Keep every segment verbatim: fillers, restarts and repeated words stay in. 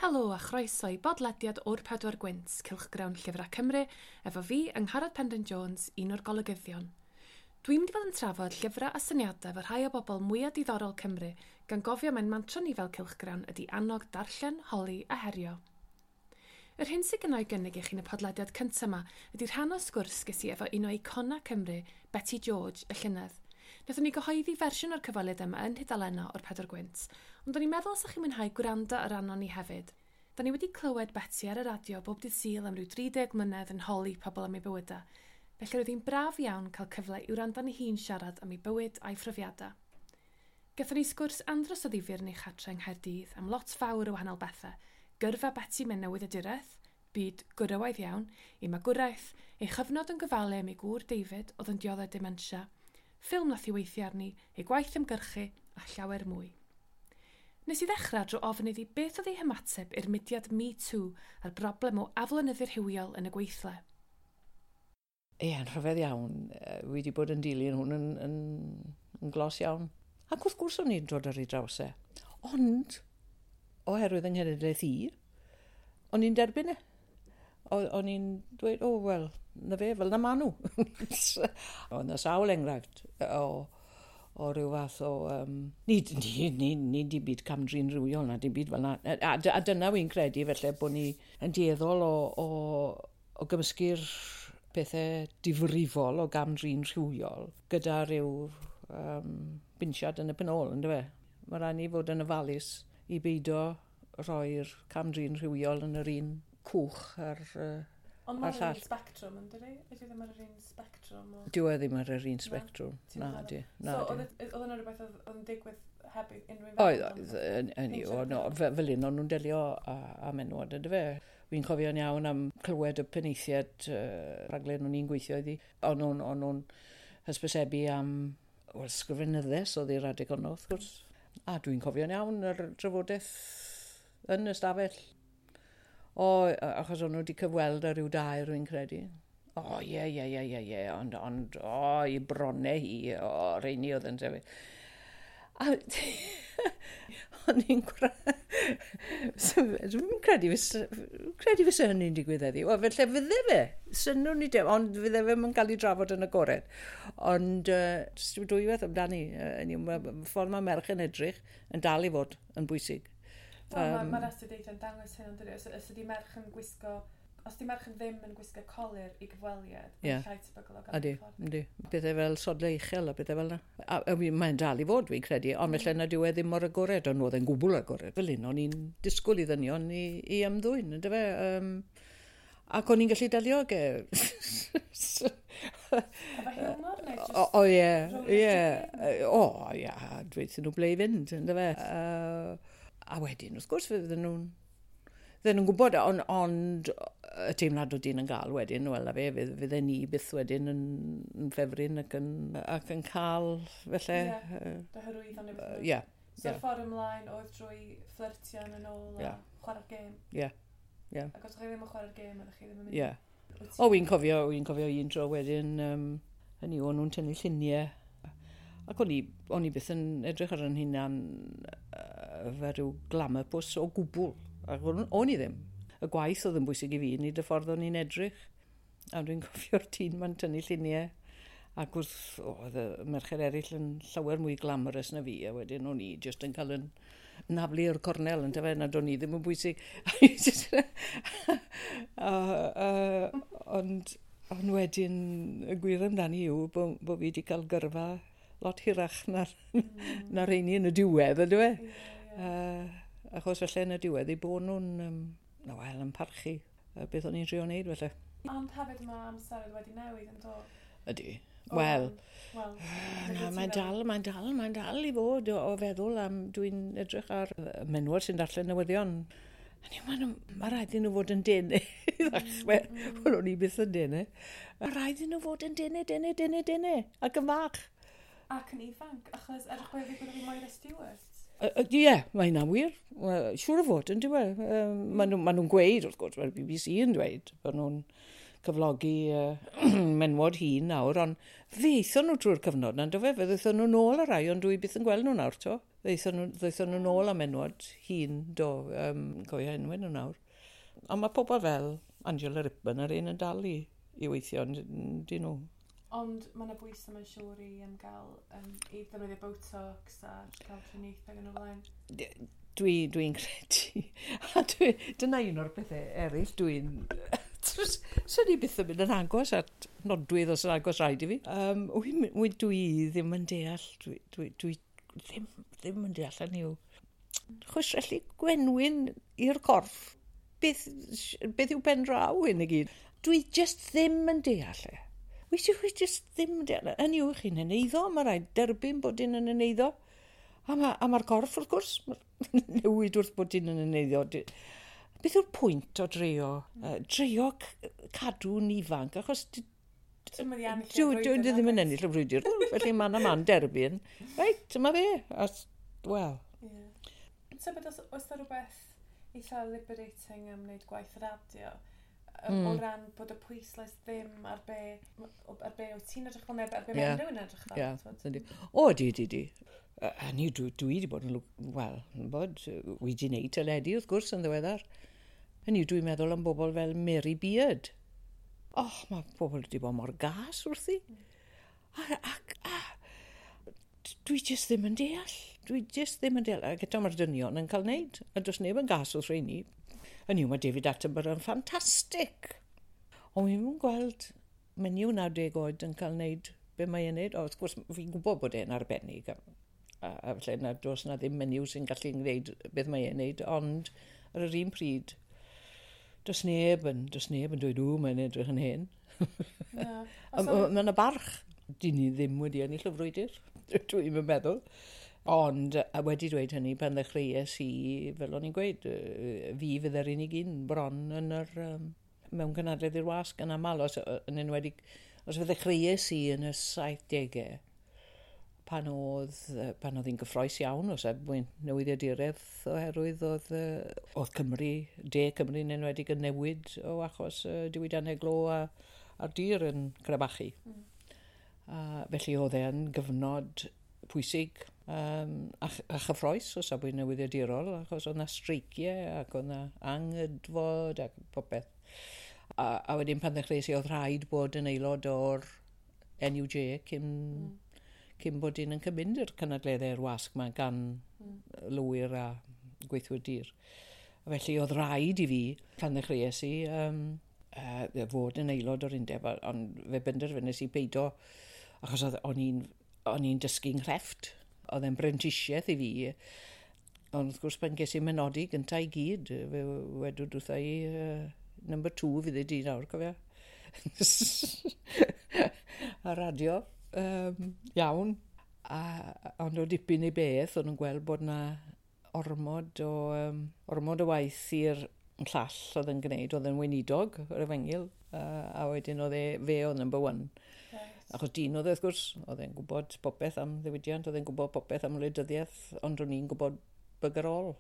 Helo a chroeso i bodlediad o'r Pedwar Gwynt, Cylchgrawn Llyfrau Cymru, efo fi, Angharad Penrhyn Jones, un o'r golygyddion. Dwi'n mynd i fod yn trafod llyfrau a syniadau efo rhai o bobl mwyaf diddorol Cymru, gan gofio mae'n mantra ni fel Cylchgrawn ydy annog darllen, holi a herio. Yr hyn sydd gynna i gynnig i chi yn y podlediad cyntaf yma ydy rhan o sgwrs ges i efo un o eicona Cymru, Beti George, y llynedd. Wnaethon ni gyhoeddi fersiwn o'r cyfweliad yma yn nhudalennau o'r Pedwar Gwynt, ond o'n i'n meddwl os ydych chi'n mwynhau gwrando ar arno ni hefyd. Da ni wedi clywed Beti ar y radio bob dydd Sul am ryw dri deg mlynedd yn holi pobl am ei bywydau. Felly roedd hi'n braf iawn cael cyfle i wrando arni hi'n siarad am ei bywyd a'i phrofiadau. Gathon ni sgwrs andros o ddifyr yn ei chatre yng Nghaerdydd am lot fawr o wahanol bethau. Gyrfa Beti mewn newyddiaduraeth, byd gwrywaidd iawn, ei magwraeth, ei chyfnod yn gofalu am ei gŵr David oedd yn dioddef dementia, ffilm nath hi weithio arni, ei gwaith ymgyrchu a llawer mwy. Nes i ddechrau drwy ofyn iddi beth oedd ei hymateb i'r mudiad Me Too a'r broblem o aflonyddu rhywiol yn y gweithle. Ie, yn rhyfedd iawn. Wi wedi bod yn dilyn hwn yn, yn, yn glos iawn. Ac wrth gwrs o'n i'n dod ar ei draws e. Ond, oherwydd yng nghenedlaeth i, o'n i'n derbyn e. O'n i'n dweud, "O, oh, wel, na fe, fel na ma nhw." Oedd na sawl enghraifft o, o ryw fath o... Um, ni, ni, ni, ni di byd camdrin rhywiol na, dim byd fel na. A, a dyna wy'n credu, felly, bod ni yn dueddol o, o, o gymysgu'r pethau difrifol o gamdrin rhywiol gyda rhyw um, binsiad yn y penôl, ynddo fe? Mae rhaid ni fod yn ofalus i beido rhoi'r camdrin rhywiol yn yr un cwch ar, uh, Ond a'r mae'n llall. un spectrwm, yn dydi? Ydy ddim ar yr un spectrwm o? Dyw e ddim ar yr un spectrwm. Ti'n Na, meddwl? di. Na, So, di. oedd e- oedd yna rhywbeth oedd oedd yn digwydd heb i unrhyw un Oedd, feddwl oedd, amdano? yn, yn, o, no, fe- fel un o'n nhw'n delio â, â menywod, ynddo fe? Fi'n cofio'n iawn am clywed y penaethiaid uh, rhaglen o'n i'n gweithio iddi. O'n nhw'n o'n nhw'n hysbysebu am, wel, sgrifenyddes oedd i'r adeg honno, wrth gwrs. A dwi'n cofio'n iawn yr drafodaeth yn y stafell. O, achos o'n nhw wedi cyfweld ar ryw dair, rwy'n credu. O, ie, ie, ie, ie, ie, ond, ond, o, i bronnau hi, o, reini oedd yn sefyll. A o'n i'n Dwi'n credu fysa, credu fysa hynny'n digwydd heddiw. Wel, felly fydde fe, synnwn ni dim, ond fydde fe yn cael ei drafod yn agored. Ond uh, dwywaith amdani, uh, uh, ffordd mae merch yn edrych yn dal i fod yn bwysig. Wel, Yym. Mae'r astudiaethau'n dangos hyn, ond dydi? Os, os ydy merch yn gwisgo... Os di merch yn ddim yn gwisgo colur i gyfweliad, Ie. mae'n llai tebygol o gael Ydy, ei ffordd. ydy. Pethau fel sodle uchel a pethau fel yna. A, a wi- mae'n dal i fod, fi'n credu, ond felly na dyw e ddim mor agored, ond oedd e'n gwbl agored. Fel un, o'n i'n disgwyl i ddynion i, i ymddwyn, ynddo fe? Um, ac o'n i'n gallu delio ag e. Efo hiwmor, neu just O, o ie, rownd ie. y O, ie, dweud nhw ble i fynd, ynddo fe? Uh, a wedyn, wrth gwrs, fydden nhw'n fydden nhw'n gwybod, ond ond y teimlad o dyn yn gael wedyn, wel, a fe, fydd- fydden ni byth wedyn yn, yn ffefryn ac yn, ac yn cael, felly, Ie. yy, Dy hyrwyddo neu beth. Ie, So ie. ffordd ymlaen oedd drwy fflyrtio yn ôl a Ie. chwarae'r gêm. Ie, ie. Ac os ydych chi ddim yn chwarae'r gêm, ydych chi ddim yn mynd. Ie. Wyt ti- O, wy'n cofio, wy'n cofio un tro wedyn, um, hynny o'n nhw'n tynnu lluniau. Ac o'n i, o'n i byth yn edrych ar yn hunan uh, fel rhyw glamour puss o gwbl. Ac o'n, o'n i ddim. Y gwaith oedd yn bwysig i fi, nid y ffordd o'n i'n edrych. A dwi'n cofio'r tîm ma'n tynnu lluniau. Ac wrth, oedd y merched eraill yn llawer mwy glamorous na fi, a wedyn o'n i jyst yn cael yn naflu o'r cornel, yn dyfe, nad o'n i ddim yn bwysig. a, uh, ond, ond wedyn, y gwir amdani yw bod, bo fi wedi cael gyrfa lot hirach na'r, mm. na rheini yn y diwedd, yndyfe? Ie, ie. Uh, achos felly yn y diwedd, eu bod nhw'n, um, na wel, yn parchu uh, beth o'n i'n trio wneud felly. Ond hefyd mae amser wedi newid yn do. Ydy. Wel, Wel, na, mae'n dal, mae'n dal, mae'n dal i fod o, o feddwl am dwi'n edrych ar yy, menywod sy'n darllen newyddion. A ni, mae ma rhaid i nhw fod yn denau i ddechrau. Mm. Wel, o'n i byth yn denau. Mae rhaid i nhw fod yn denau, denau, denau, denau. Ac yn fach. Ac yn ifanc, achos edrych bod fi bod fi Moira Stewart. Ie, yeah, mae hynna'n wir. Wel, siŵr o fod, yn dyw e. Um, Maen nhw, ma nhw'n gweud, wrth gwrs, mae'r B B C yn dweud, bod nhw'n cyflogi uh, menwod hŷn nawr, ond fe aethon nhw trwy'r cyfnod na, do fe? Fe ddaethon nhw nôl y rai, ond dwi byth yn gweld nhw nawr, to. Ddaethon nhw, ddaethon nhw nôl am menwod hŷn, do, um, cofio enwau nhw nawr. Ond mae pobl fel Angela Rippon a'r un yn dal i, i weithio, dyn nhw. Ond mae yna bwysau mae'n siŵr i um, gael, um, i ddefnyddio Botox a gael triniaethau yn y blaen. Dwi, dwi'n credu. A dwi, dyna un o'r pethau eraill dwi'n... Swn i byth yn mynd yn agos at nodwydd os yn agos rhaid i fi. Um, wy, wy, dwi ddim yn deall, dwi, dwi, dwi ddim, ddim yn deall hynny yw. Chwistrellu gwenwyn i'r corff. Beth, beth yw pen draw hyn i gyd? Dwi just ddim yn deall e. Wy, dwi just ddim yn deall. Hynny yw chi'n heneiddo, mae rhaid derbyn bod un yn heneiddo. A mae'r ma corff, wrth gwrs, newid wrth bod un yn heneiddo. Beth yw'r pwynt o drio? Uh, drio cadw'n ifanc, achos dwi ddim yn ennill y frwydr. Felly man a man derbyn. Reit, dyma fe. Wel. Yeah. Tybed, oes, oes 'na rhywbeth eitha liberating am wneud gwaith radio? Mm. O ran bod y pwyslais ddim ar be, ar be wyt ti'n edrych fel neu ar be yeah. mae rhywun edrych fel. Yeah. O, di, di, di. A ni, dwi, dwi wedi bod yn, wel, bod, wedi wneud teledu wrth gwrs yn ddiweddar. Hynny, dwi'n meddwl am bobl fel Mary Beard. Oh, mae pobl wedi bod mor gas wrthi. A, ac, a, dwi jyst ddim yn deall. Dwi jyst ddim yn deall. Ac eto mae'r dynion yn cael wneud. A does neb yn gas wrth rheini. Hynny yw, mae David Attenborough yn ffantastig. Ond wi'n gweld menyw naw deg oed yn cael wneud be mae e'n wneud. O, wrth gwrs, fi'n gwybod bod e'n arbennig. A, a, a felly na, does na ddim menyw sy'n gallu gwneud beth mae e'n wneud. Ond ar yr un pryd, does neb yn, does neb yn dweud, ww, mae'n edrych yn hen. No. Mae yna barch. Dyn ni ddim wedi ennill y frwydr, dwi'n meddwl. Ond a wedi dweud hynny, pan ddechreuais i, fel o'n i'n gweud, fi fydd yr unig un bron yn yr, um, mewn cynhadledd i'r wasg yn aml, os, yn enwedig, os fe ddechreuais i yn y saithdegau, pan oedd, pan oedd hi'n gyffrous iawn o safbwynt newyddiaduraeth oherwydd oedd, oedd Cymru, De Cymru yn enwedig yn newid o achos uh, diwydiannau glo a, a'r dir yn crebachu. Mm. A felly oedd e'n gyfnod pwysig um, a, a chyffrous o safbwynt newyddiadurol, achos oedd 'na streiciau ac oedd 'na anghydfod ac popeth. A, a wedyn pan ddechreuais i oedd rhaid bod yn aelod o'r N U J cyn, mm. cyn bod un yn cymryd i'r cynadleddau'r wasg yma gan mm. lywyr a gweithwyr dir. A felly oedd rhaid i fi, pan ddechreuais i, um, uh, fod yn aelod o'r undeb, ond fe benderfynais i beido, achos oedd, o'n i'n o'n i'n dysgu'n nghrefft. Oedd e'n brentisiaeth i fi. Ond wrth gwrs pan ges i menodi gyntaf i gyd, fe wedwyd wrtha i, uh, number two fydd i di nawr, cofia. A radio, um, iawn. A, ond o dipyn i beth, o'n nhw'n gweld bod na ormod o, um, ormod o waith i'r llall oedd yn gwneud, oedd yn weinidog yr efengyl, uh, a wedyn oedd e, fe oedd number one. Right. Achos dyn oedd e, wrth gwrs, oedd e'n gwybod popeth am ddiwydiant, oedd e'n gwybod popeth am wleidyddiaeth, ond o'n i'n gwybod bugger all,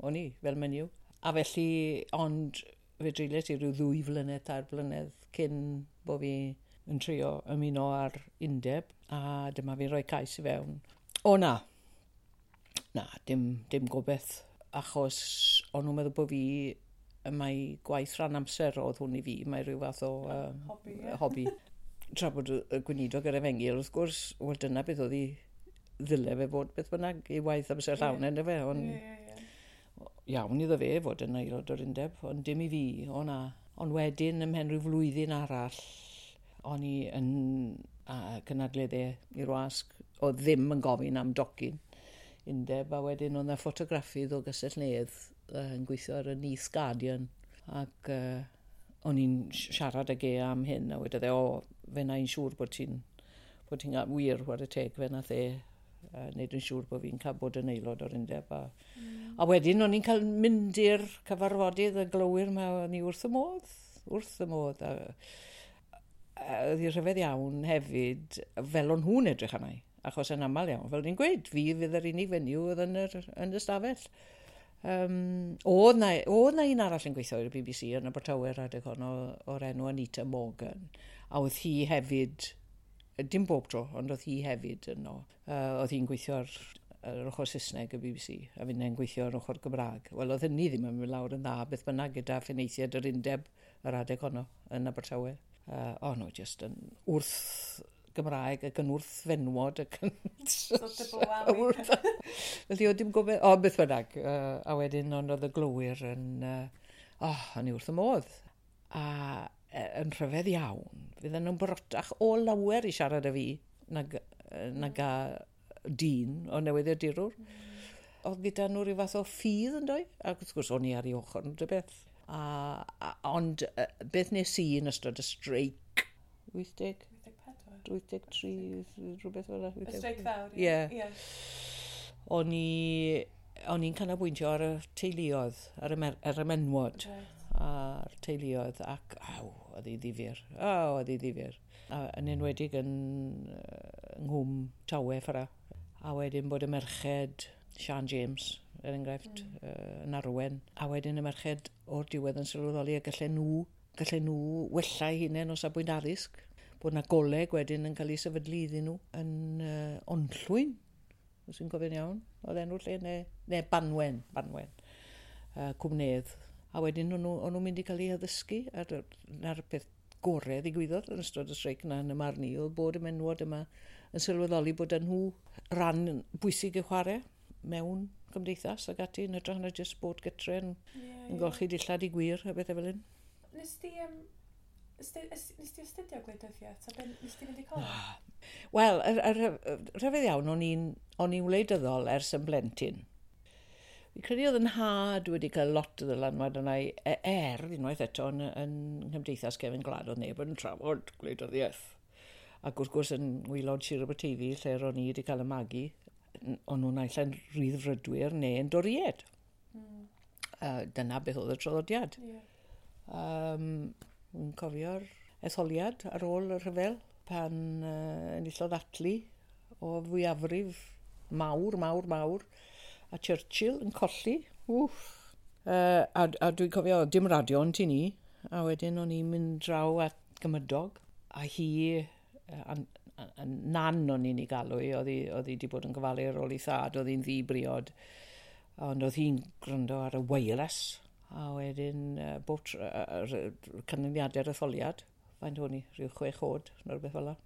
o'n i, fel menyw. A felly, ond fe dreuliais i ryw ddwy flynedd, tair blynedd, cyn bo fi yn trio ymuno ar undeb, a dyma fi'n rhoi cais i fewn. O na, na, dim, dim gobeith, achos o'n nhw'n meddwl bod fi, mae gwaith rhan amser oedd hwn i fi, mae rhyw fath o um, hobi. Yeah. hobi. Tra bod y gweinidog yr efengyl, wrth gwrs, wel dyna beth oedd i ddyle fe fod beth bynnag i waith amser llawn Ie. yeah. fe, ond Ie, ie, ie. iawn iddo fe fod yn aelod o'r undeb, ond dim i fi, o na. Ond wedyn, ymhen rhyw flwyddyn arall, o'n i yn a, cynadleddau i'r wasg, oedd ddim yn gofyn am docyn undeb, a wedyn oedd 'na ffotograffydd o Gastell Nedd uh, yn gweithio ar y Neath Guardian, ac uh, o'n i'n siarad ag e am hyn, a wedodd e, o, fe na i'n siŵr bod ti'n bod ti'n wir, chwarae teg, fe nath e uh, wneud yn siŵr bod fi'n cael bod yn aelod o'r undeb. A, mm. a wedyn o'n i'n cael mynd i'r cyfarfodydd y glowyr yma, o'n i wrth y modd, wrth y modd. A, a oedd hi'n rhyfedd iawn hefyd, fel o'n nhw'n edrych arna i, achos yn aml iawn, fel ni'n gweud, fi fydd yr unig fenyw oedd yn yr, yn y stafell. Um, oedd na, oedd na un arall yn gweithio i'r B B C yn Abertawe adeg honno o'r enw Anita Morgan, a oedd hi hefyd, dim bob tro, ond oedd hi hefyd yno. Uh, oedd hi'n gweithio ar yr ochr Saesneg y B B C, a finnau'n gweithio ar ochr Gymraeg. Wel, oedd hynny ddim yn mynd lawr yn dda, beth bynnag gyda phenaethiaid yr undeb yr adeg honno yn Abertawe. Uh, o, no, just yn wrth Gymraeg ac yn wrth fenwod ac yn... Wrth... Felly, oedd dim gobeith... O, beth bynnag. Uh, a wedyn, ond oedd y glowyr yn... Uh, oh, o'n i wrth y modd. A yn rhyfedd iawn, fydden nhw'n barotach o lawer i siarad â fi nag, nag a dyn o newyddiadurwr. Mm. Oedd gyda nhw rhyw fath o ffydd yn doi, ac wrth gwrs o'n i ar ei ochr yn dy beth. A, a, ond beth nes i yn ystod y streic, wyth deg? wyth deg tri, rhywbeth fel 'na. Y streic fawr, ie. Yeah. O'n i, o'n i'n canolbwyntio ar y teuluoedd, ar y, mer, ar y menwod. Right. A'r teuluoedd, ac aw, oedd hi ddifyr. O, oedd hi ddifyr. A yn enwedig yn yng Nghwm Tawe ffordd. A wedyn bod y merched, Sian James, er enghraifft, mm. uh, yn arwen. A wedyn y merched o'r diwedd yn sylweddoli a gallen nhw, gallen nhw wella eu hunain o safbwynt addysg. Bod na goleg wedyn yn cael ei sefydlu iddyn nhw yn uh, Onllwyn, os i'n cofio'n iawn, oedd enw'r lle, neu, neu Banwen, Banwen, uh, Cwmnedd. A wedyn o'n nhw, o'n nhw'n mynd i cael eu addysgu, a'r, na'r peth gorau ddigwyddodd yn ystod y streic na yn y marn i, oedd bod y menwod yma yn sylweddoli bod nhw ran bwysig i chwarae mewn cymdeithas ac ati, yn hytrach na jyst bod gytre yn, yeah, yeah. yn golchi dillad i gwir a bethau fel hyn. Nes ti, um, nes ti astudio gwleidyddiaeth? A ben, nes ti fynd i coleg? Wel, yr, yr, rhyfedd iawn, o'n i'n o'n i'n wleidyddol ers yn blentyn. Fi'n credu oedd yn nhad wedi cael lot o ddylanwad arna i, er unwaith eto yn, yn nghymdeithas cefn gwlad oedd neb yn trafod gwleidyddiaeth. Ac wrth gwrs yn ngwaelod Sir Aberteifi, lle ro'n i wedi cael y magu, o'n nhw'n naill ai'n rhyddfrydwyr neu yn Doriaid. Mm. Uh, dyna beth oedd y traddodiad. Yeah. Um, yn cofio'r etholiad ar ôl y rhyfel pan uh, enillodd Attlee o fwyafrif mawr, mawr, mawr, a Churchill yn colli. Wff. Uh, a, a dwi'n cofio, dim radio yn tŷ ni, a wedyn o'n i'n mynd draw at gymydog, a hi, a, a, a nan o'n i'n ei galw hi, oedd hi, oedd hi wedi bod yn gofalu ar ôl ei thad, oedd hi'n ddi-briod, ond oedd hi'n gwrando ar y wireless, a wedyn uh, bob tr- uh, canlyniadau'r etholiad, faint o'n i, rhyw chwech oed, neu rhywbeth fel 'na.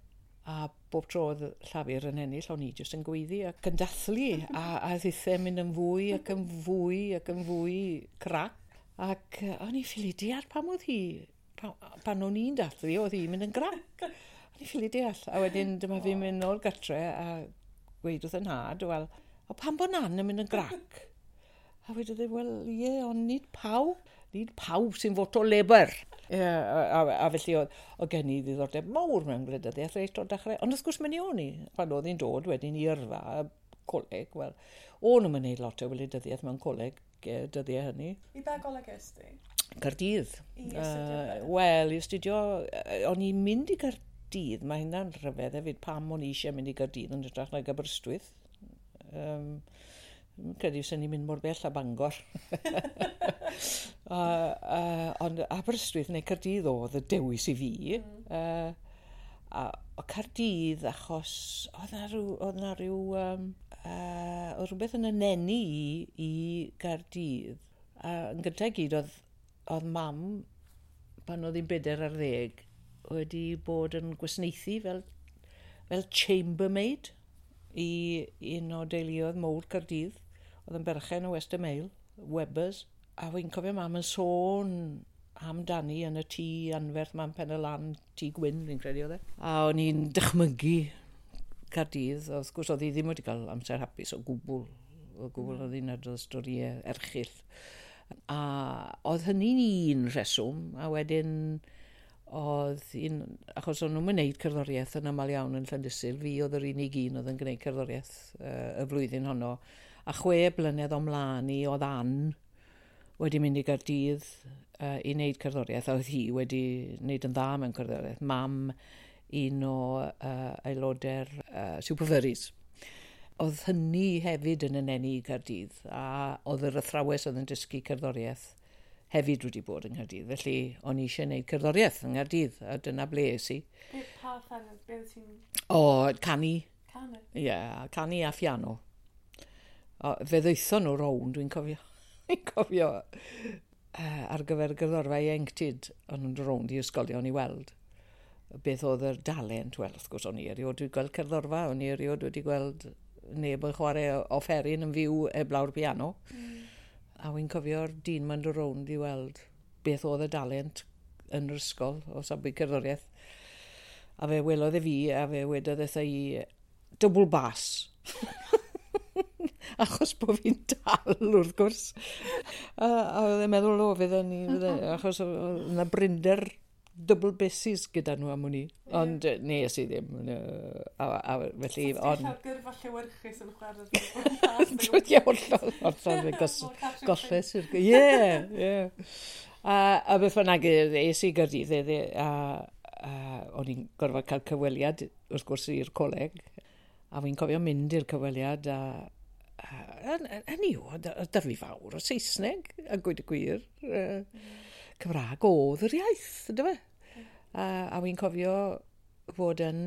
A bob tro oedd Llafur yn ennill, o'n i jyst yn gweiddi ac yn dathlu, a, a ddithau mynd yn fwy ac yn fwy ac yn fwy crac. Ac o'n i ffili deall pam oedd hi, pan, pan o'n i'n dathlu, oedd hi'n mynd yn grac. O'n i ffili deall. A wedyn dyma fi'n mynd nôl gatre a gweud wrth yn nhad, wel, o pam bod nan yn mynd yn grac? A wedodd e, wel, ie, ond nid pawb, nid pawb sy'n voto Labour. Ie, a, a, a felly oedd, oedd gen i ddiddordeb mawr mewn gwleidyddiaeth reit o'r dechrau. Ond wrth gwrs mynd i o'n i, pan oedd hi'n dod wedyn i yrfa, coleg, wel, o'n nhw'n gwneud lot o wleidyddiaeth mewn coleg dyddiau hynny. I ba goleg est ti? Caerdydd. I astudio? Uh, Wel, i astudio, o'n i'n mynd i Gaerdydd, mae hynna'n rhyfedd hefyd pam o'n i eisiau mynd i Gaerdydd yn hytrach nag Aberystwyth. Um, Dwi'n credu sy'n ni'n mynd mor bell a Bangor. uh, uh, ond Aberystwyth neu Caerdydd oedd y dewis i fi. Mm. Uh, a, o Caerdydd achos oedd na rhyw, oedd na rhyw um, uh, oedd rhywbeth yn ynenu i i Gaerdydd. Uh, yn gyntaf i gyd oedd, oedd mam, pan oedd hi'n bedair ar ddeg, wedi bod yn gwasanaethu fel, fel chambermaid i un o deuluoedd mowr Caerdydd. Oedd yn berchen o Western Mail, Webbers. A fi'n cofio mam yn sôn amdani yn y tŷ anferth mam Pen y Lan, tŷ gwyn, fi'n credu oedd e. A o'n i'n dychmygu Caerdydd. Wrth gwrs oedd hi ddim wedi cael amser hapus o gwbl. O gwbl oedd hi'n adrodd storïau erchyll. A oedd hynny'n un rheswm, a wedyn oedd un, achos o'n nhw'n gwneud cerddoriaeth yn aml iawn yn Llandysul, fi oedd yr unig un oedd yn gwneud cerddoriaeth uh, y flwyddyn honno. A chwe blynedd o mlaen i oedd Ann wedi mynd i Gaerdydd uh, i wneud cerddoriaeth, a oedd hi wedi wneud yn dda mewn cerddoriaeth. Mam un o uh, aelodau'r uh, Super Furries. Oedd hynny hefyd yn ynenu i Gaerdydd, a oedd yr athrawes oedd yn dysgu cerddoriaeth hefyd wedi bod yng Nghaerdydd. Felly o'n i eisiau gwneud cerddoriaeth yng Nghaerdydd, a dyna ble es i. Be, pa ffefryn? Be wyt ti'n O, canu. canu? Ie, yeah, canu a phiano. O, fe ddaethon nhw rownd, dwi'n cofio, dwi'n cofio uh, ar gyfer gerddorfa ieuenctid, o'n nhw'n dod rownd i ysgolion i weld beth oedd yr dalent. Wel, wrth gwrs, o'n i erioed wedi gweld cerddorfa, o'n i erioed wedi gweld neb yn chwarae offeryn yn fyw heblaw'r piano. Mm. A wy'n cofio'r dyn ma'n dod rownd i weld beth oedd y dalent yn yr ysgol o safbwynt cerddoriaeth. A fe welodd e fi, a fe wedodd wrtha i, "Double bass." Achos bod fi'n dal, wrth gwrs. A, a oedd e'n meddwl, o, fydden ni, fydden, achos oedd yna brinder double basses gyda nhw am wn i. Ond yeah. nes i ddim. A, a, felly, So ond ti'n gyrfa llewyrchus yn chwarae. Ie, hollol, hollol, fe gos, golles i'r... Ie, ie. A, a beth bynnag, es i Gaerdydd, e, a, a o'n i'n gorfod cael cyfweliad, wrth gwrs, i'r coleg. A fi'n cofio mynd i'r cyfweliad, a, a, hynny yw, oedd 'da fi fawr o Saesneg, a gweud y gwir. Uh, Cymraeg oedd yr iaith, yndyfe? A, a fi'n cofio fod yn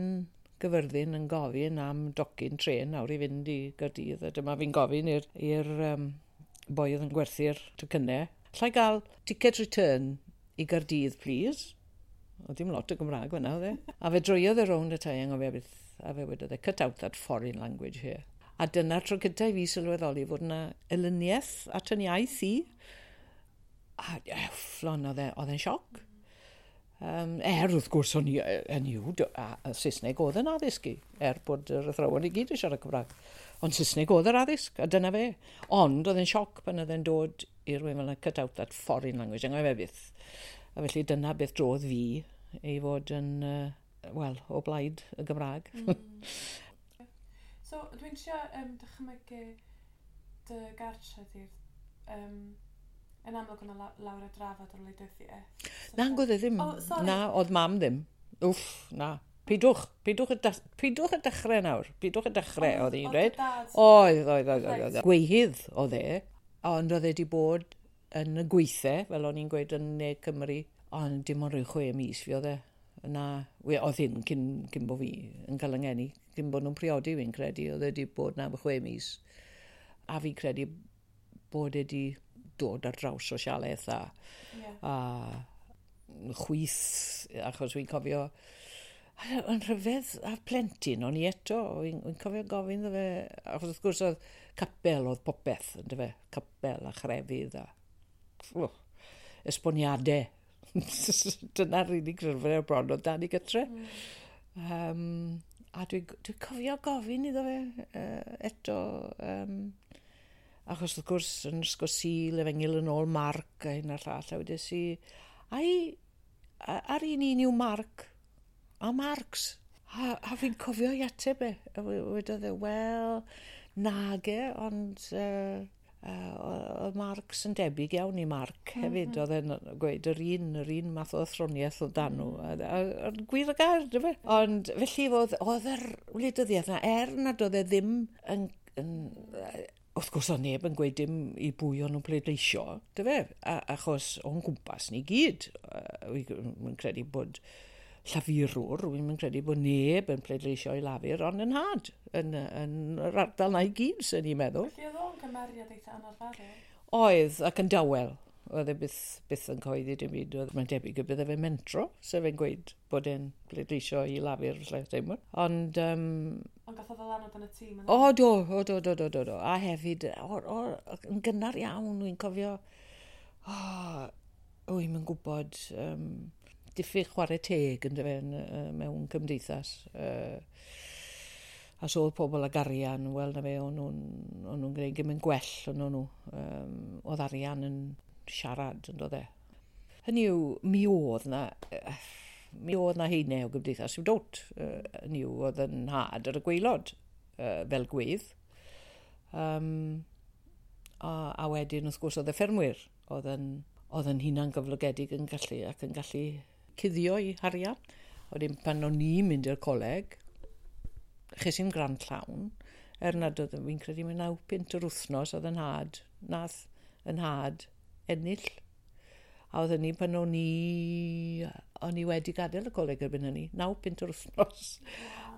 Gyfyrddin yn gofyn am docyn tren nawr i fynd i Gaerdydd. A dyma fi'n gofyn i'r i'r um, boi oedd yn gwerthu'r tocynnau. "Alla i gael ticket return i Gaerdydd, please?" Oedd dim lot o Gymraeg fyna, oedd e? A fe droiodd e rownd ata i anghofio beth, a fe wedodd e, "Cut out that foreign language here." A dyna'r tro cyntaf i fi sylweddoli fod yna elyniaeth at yn iaith i. A ufflon, oedd e- oedd e'n sioc. Um, er, wrth gwrs, o'n i, yn yw, a, a Saesneg oedd yn addysg i, er bod yr athrawon i gyd yn siarad Cymraeg. Ond Saesneg oedd yr addysg, a dyna fe. Ond oedd e'n sioc pan oedd e'n dod i rywun fel yna, "Cut out that foreign language," anghofio byth. A felly dyna beth drodd fi i fod yn, uh, wel, o blaid y Gymraeg. Mm. So, dwi'n trio um, dychmygu dy gartre di'r... Um, yn amlwg yna lawer o drafod o'r wleidyddiaeth. So, Na, oedd e ddim. Oh, sorry. Na, oedd mam ddim. Wff, na. Pidwch, pidwch y, pidwch y dechrau nawr. Pidwch y dechrau, oedd hi'n dweud. Oedd, oedd, oedd, oedd. Gweihydd oedd e, ond oedd e wedi bod yn y gweithle, fel o'n i'n gweud yn Ne Cymru, ond dim ond rhyw chwe mis fi oedd e. Na, oedd hyn cyn, cyn bod fi yn cael yng ngeni, cyn bod nhw'n priodi fi'n credu, oedd e wedi bod na am chwe mis. A fi'n credu bod e wedi dod ar draws sosialaeth a, yeah. a chwith, achos fi'n cofio, yn rhyfedd a plentyn o'n i eto, fi'n fi cofio gofyn iddo fe, achos wrth gwrs oedd capel oedd popeth, ynddo fe, capel a chrefydd a oh, esboniadau. Dyna'r unig llyfrau bron oedd 'da ni gytre. Mm. Um, a dwi'n dwi cofio gofyn iddo fe uh, eto, um, achos wrth gwrs yn ysgol Sul, Efengyl yn ôl Marc a hyn a'r llall, a wedes i, ai, ar un un yw Marc, a Marx? A, a fi'n cofio i ateb e. A wedodd e, "Wel, nage, ond uh, uh, oedd Marx yn debyg iawn i Marc hefyd." Mm -hmm. Oedd e'n gweud yr un, yr un math o athroniaeth oedd dan nhw. A, a, a, gwir y gair, dy fe? Ond felly oedd, oedd yr wleidyddiaeth na, er nad oedd e ddim yn, yn wrth gwrs oedd neb yn gweud dim i bwy o'n nhw'n pleidleisio, dy fe? A, achos o'n gwmpas ni gyd. Wy'n credu bod Llafurwr, wy'n credu bod neb yn pleidleisio i Lafur, ond yn nhad, yn, yn yr ardal na i gyd, sy'n ni'n meddwl. Felly oedd o'n gymeriad eitha anarferol? Oedd, ac yn dawel. Oedd e byth, byth yn cyhoeddi dim byd. Oedd mae'n debyg y bydde fe'n mentro, sef e'n gweud bod e'n pleidleisio i Lafur, lle teimlo. Ond... Um, Ond gath o ddylanwad yn y tîm? O, do, o, do, do, do, do, do. A hefyd, o, o, yn gynnar iawn, wy'n cofio, o, wy'n yn gwybod, um, diffyg chwarae teg yn dyfe, mewn cymdeithas. Uh, a so oedd pobl ag arian, wel na fe, o'n nhw'n nhw gwneud gymaint gwell o'n nhw. Um, oedd arian yn siarad yn dod e. Hynny yw, mi oedd na, mi oedd na haenau o gymdeithas i'w dod. Hynny yw, oedd yn nhad ar y gwaelod fel gweidd. Um, a, a wedyn, wrth gwrs, oedd y ffermwyr, oedd yn, oedd yn hunan gyflogedig yn gallu, ac yn gallu cuddio i harian. Wedyn pan o'n i'n mynd i'r coleg, ches i'n grant llawn, er nad oedd, fi'n credu mae naw punt yr wythnos oedd yn nhad, nath yn nhad ennill. A oedd hynny pan o'n i, o'n i wedi gadael y coleg erbyn hynny, naw punt yr wythnos.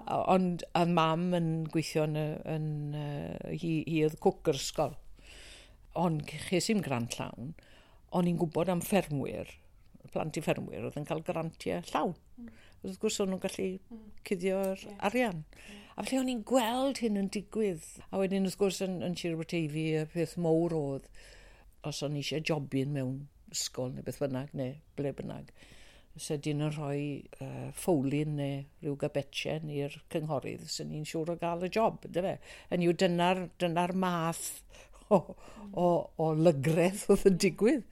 Ond a mam yn gweithio yn, yn, yn hi, hi oedd cwc yr ysgol. Ond ches i'm grant llawn, o'n i'n gwybod am ffermwyr, plant i ffermwyr, oedd yn cael grantiau llawn. Mm. Wrth gwrs o'n nhw'n gallu mm. cuddio'r yeah. arian. Yeah. A felly o'n i'n gweld hyn yn digwydd. A wedyn wrth gwrs yn, yn Sir Aberteifi, y peth mowr oedd, os o'n i eisiau jobyn mewn ysgol neu beth bynnag, neu ble bynnag, se dyn yn rhoi uh, ffowlin neu rhyw gabetchen i'r cynghorydd, sy'n ni'n siŵr o gael y job, yndyfe? Yn yw dyna'r dyna math o, o, o lygredd oedd yn digwydd.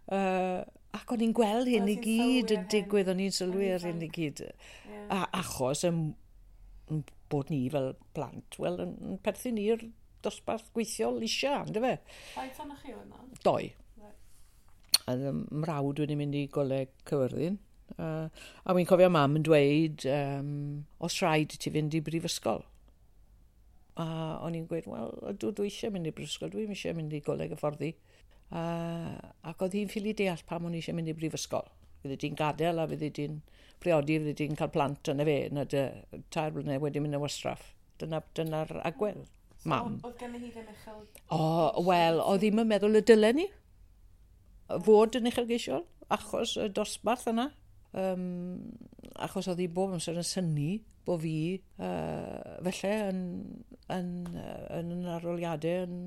Uh, ac o'n i'n gweld hyn i gyd yn digwydd, o'n i'n sylwi ar hyn i gyd. Yeah. A achos yn, yn bod ni fel plant, wel, yn, yn perthyn i'r dosbarth gweithiol eisiau, yndyfe? Faint ohonoch chi oedd 'na? Doi. Right. A mrawd wedi mynd i Goleg Cyfyrddin. Uh, a wy'n cofio mam yn dweud, um, os rhaid i ti fynd i brifysgol. A o'n i'n gweud, wel, ydw, dwi eisiau mynd i brifysgol, dwi'n eisiau mynd i Goleg Hyfforddi. Uh, ac oedd hi'n ffili deall pam o'n i eisiau mynd i brifysgol. Fydde di'n gadael a fydde di'n priodi, fydde di'n cael plant yna fe, na dy tair blynedd wedi mynd yn wastraff. Dyna, dyna'r agwedd, so, mam. Oedd gen hi ddim uchel... O, wel, oedd ddim yn meddwl y dylen ni fod yn uchelgeisiol, achos y dosbarth yna. Um, achos oedd hi bob amser yn synnu bod fi uh, felly yn, yn, yn, yn arholiadau yn,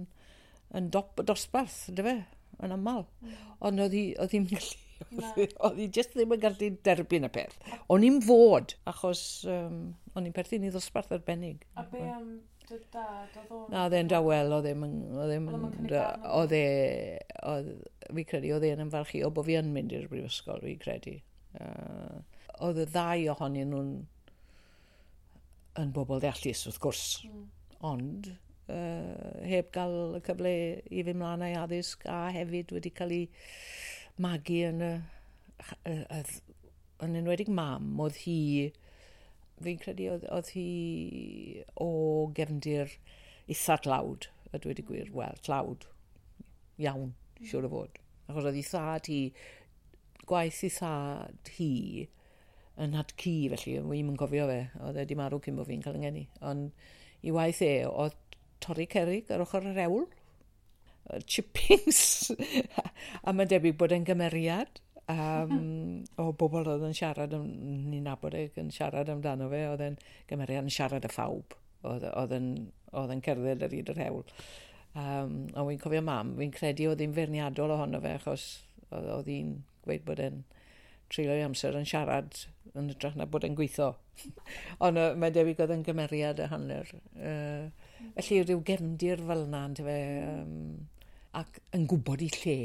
yn dop y dosbarth, yndyfe, yn aml. Mm. Ond oedd hi, oedd hi'n gallu, oedd hi jyst ddim yn gallu derbyn y peth. O'n i'n fod, achos um, o'n i'n perthyn i ddosbarth arbennig. A be am dy dad, oedd o'n... Na, oedd e'n dawel, oedd e'n... Oedd e'n... Oedd e... Oedd, fi credu, oedd e'n ymfalchïo bod fi yn mynd i'r brifysgol, fi credu. Uh, oedd y ddau ohonyn nhw'n yn bobl ddeallus, wrth gwrs. Mm. Ond uh, heb gael y cyfle i fynd mlaen â'i addysg a hefyd wedi cael ei magu yn y, y, y, yn enwedig mam, oedd hi, fi'n credu oedd, oedd hi o gefndir eitha tlawd, a dweud y gwir, wel, tlawd, iawn, siŵr o fod. Achos oedd ei thad hi, gwaith ei thad hi yn had ci, felly, wi'm yn cofio fe, oedd e wedi marw cyn bod fi'n cael 'y ngeni. Ond i waith e, oedd torri cerrig ar ochr yr hewl, chippings, a mae'n debyg bod e'n gymeriad um, o bobl oedd yn siarad, ni'n nabod e, yn siarad amdano fe, oedd e'n gymeriad yn siarad â phawb, oedd, oedd, yn, oedd yn cerdded ar hyd yr hewl. Um, a wy'n cofio mam, fi'n credu oedd hi'n feirniadol ohono fe, achos oedd, oedd hi'n gweud bod e'n treulio'i amser yn siarad yn hytrach na bod e'n gweithio. Ond uh, mae'n debyg oedd yn gymeriad y hanner. Uh, felly rhyw gefndir fel yna, yntyfe, um, ac yn gwybod i lle.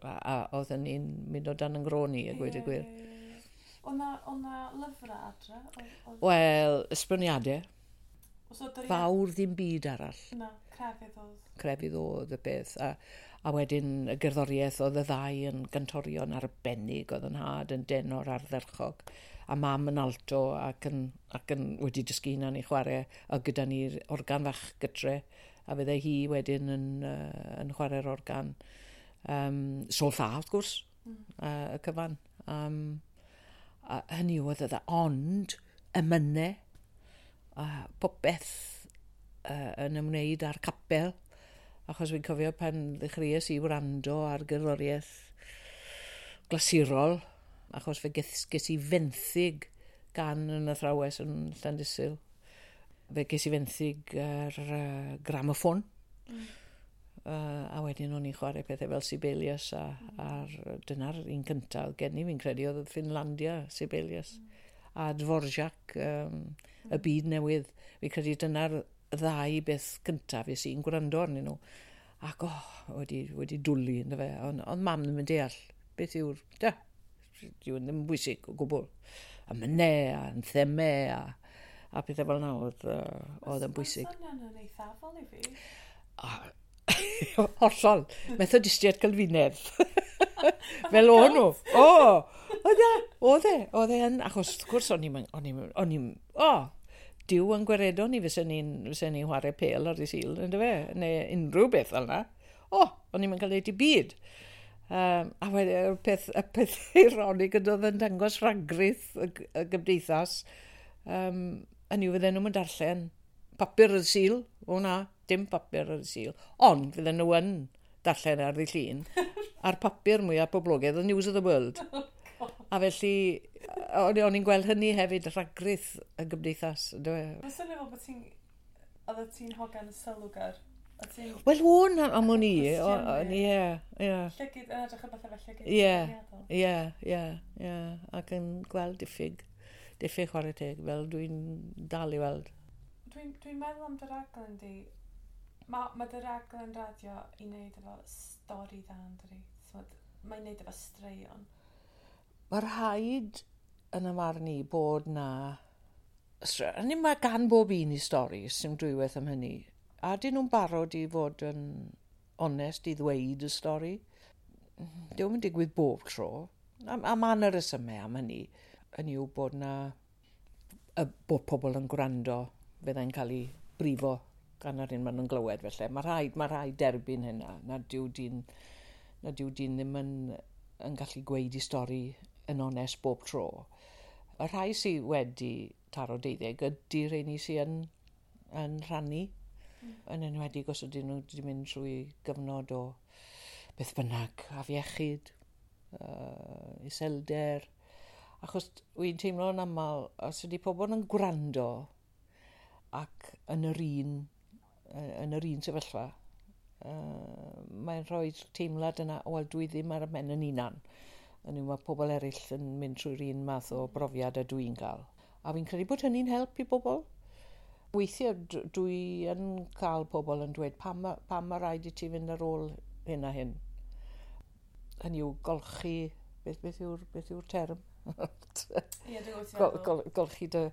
A, a oedd yn un mynd o dan yn grôn i, a gweud y gwir. Oedd na lyfrau adre? Wel, esboniadau. Fawr ddim byd arall. Na, crefydd oedd. Crefydd oedd y beth. A, a wedyn y gerddoriaeth oedd y ddau yn gantorion arbennig, oedd yn nhad yn denor ardderchog, a mam yn alto ac yn, ac yn wedi dysgu hunan i chwarae, a gyda ni'r organ fach gytre, a fydde hi wedyn yn, uh, yn chwarae'r organ. Um, sol-ffa, wrth gwrs, mm. uh, y cyfan. Um, a hynny oedd y dda, ond emynau, a popeth uh, yn ymwneud â'r capel, achos fi'n cofio pan ddechreuais i wrando ar gerddoriaeth glasurol, achos fe ges, ges i fenthyg gan yn athrawes yn Llandysul. Fe ges i fenthyg ar uh, gramoffon. Mm. Uh, a wedyn o'n i'n chwarae pethau fel Sibelius a, mm. a'r, dyna'r un cyntaf gen i, fi'n credu oedd Finlandia Sibelius. Mm. A Dvorak, um, mm. y byd newydd. Fi'n credu dyna'r ddau beth cyntaf es i'n gwrando arnyn nhw. Ac oh, wedi, wedi dwlu ynddo fe. Ond on mam ddim yn deall beth yw'r... Da, dyw ddim yn bwysig o gwbl. A mynau, a anthemau, a, a pethau fel yna oedd, uh, oedd yn bwysig. Mae'n swnio'n eithafol i fi. A, hollol. Methodistiaid Calfinaidd. Fel o'n nhw. O, oedd e, oedd e, oedd e yn, achos wrth gwrs o'n i'n, o'n i'n, o'n i'n, o, Duw yn gwaredo ni fysen ni'n fysen ni'n chwarae pêl ar y Sul, yndyfe, neu unrhyw beth fel yna. O, o'n i'n cael ei byd. Um, a wedyn, y peth, y peth ironig yn oedd yn dangos rhagrith y, y gymdeithas, um, Hynny yw, fydden nhw'n darllen papur ar y Sul. O na, dim papur ar y Sul. Ond fydden nhw yn darllen ar ddydd Llun. A'r papur mwyaf poblogaidd, The News of the World. Oh, a felly, o'n i'n gweld hynny hefyd, rhagrith y gymdeithas. Mae'n swnio fel bod ti'n... Oeddet ti'n hogan sylwgar. Wel, o'n am o'n i. Ie, ie. Llygid, yn edrych ar bethau fel llygid. Ie, ie, ie, ie. Ac yn gweld diffyg, diffyg chwarae teg, fel dwi'n dal i weld. Dwi'n dwi meddwl am dy raglen di. Mae ma dy raglen radio i wneud efo stori dda, yn dydi? Mae'n wneud efo straeon. Mae rhaid yn y marn i bod na... Hynny mae gan bob un i stori, sy'n dwywaith am hynny. A dyn nhw'n barod i fod yn onest i ddweud y stori. Dio'm yn digwydd bob tro. A, a mae yna resymau am hynny. Hynny yw bod na, y, bod pobl yn gwrando fyddai'n cael ei brifo gan yr un maen nhw'n glywed felly. Mae rhaid, mae rhaid derbyn hynna. Na dyw dyn, na dyw dyn ddim yn, yn gallu gweud i stori yn onest bob tro. Y rhai sydd wedi taro deuddeg ydy'r rheini sydd yn, yn rhannu. Mm. Yn enwedig os ydyn nhw wedi mynd trwy gyfnod o beth bynnag, afiechyd, uh, iselder. Achos wy'n teimlo'n aml, os ydy pobl yn gwrando ac yn yr un, yn yr un sefyllfa, uh, mae'n rhoi teimlad yna, wel, dwi ddim ar y men yn unan. Yn yw, mae pobl eraill yn mynd trwy'r un math o brofiad a dwi'n gael. A fi'n credu bod hynny'n help i bobl. Weithiau dwi yn cael pobl yn dweud pam, pam mae rhaid i ti fynd ar ôl hyn a hyn. Hynny yw golchi, beth, beth yw'r beth yw'r term? Ie, dwi'n gwybod Gol, gol, golchi dy,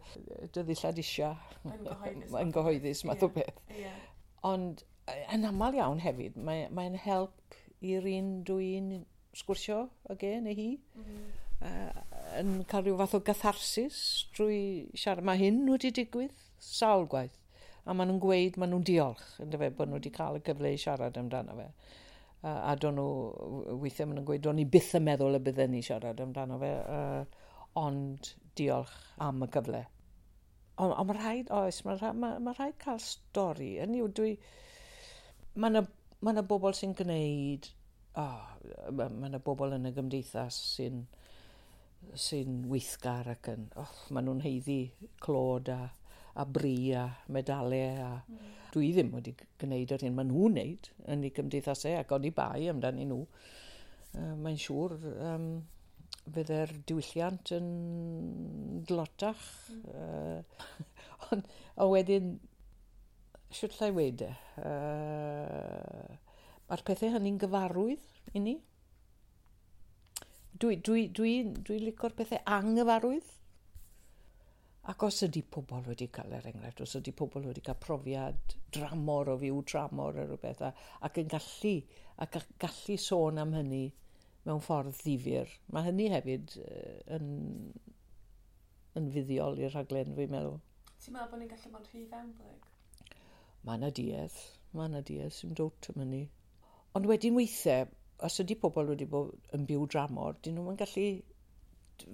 dy ddillad isia. Yn gyhoeddus. Yn gyhoeddus, math o beth. Yeah. Ond yn aml iawn hefyd, mae'n mae help i'r un dwi'n sgwrsio ag e neu hi. Mm. Uh, yn cael rhyw fath o gatharsis drwy siarad. Mae hyn wedi digwydd sawl gwaith. A maen nhw'n gweud, maen nhw'n diolch, yndyfe, bod nhw wedi cael y cyfle i siarad amdano fe. Uh, a do'n nhw, weithiau maen nhw'n gweud, do'n i byth yn meddwl y bydden ni siarad amdano fe, uh, ond diolch am y cyfle. Ond on mae rhaid, oes, mae rhaid, ma, ma rhaid cael stori. Hynny yw, dwi... Mae yna ma yna bobl sy'n gwneud... Oh, mae yna bobl yn y gymdeithas sy'n sy'n weithgar ac yn... Oh, maen nhw'n haeddu clod a, a bri a medalau. A mm. Dwi ddim wedi gwneud yr hyn maen nhw'n wneud yn eu cymdeithasau ac oni bai amdanyn nhw. Uh, mae'n siŵr um, fydde'r diwylliant yn dlotach. Mm. Uh, ond a wedyn, sut llai weud e? Uh, mae'r pethau hynny'n gyfarwydd i ni. Dwi, dwi, dwi, dwi licio'r pethau anghyfarwydd. Ac os ydy pobl wedi cael, er enghraifft, os ydy pobl wedi cael profiad dramor o fyw tramor neu rhywbeth, a, ac yn gallu, ac gallu sôn am hynny mewn ffordd ddifyr. Mae hynny hefyd yn, yn fuddiol i'r rhaglen, fi'n meddwl. Ti'n meddwl bod ni'n gallu bod yn rhy fewnblyg? Mae yna duedd, mae yna duedd sy'n dod am hynny. Ond wedyn weithiau, os ydy pobl wedi bod yn byw dramor, dyn nhw'n gallu...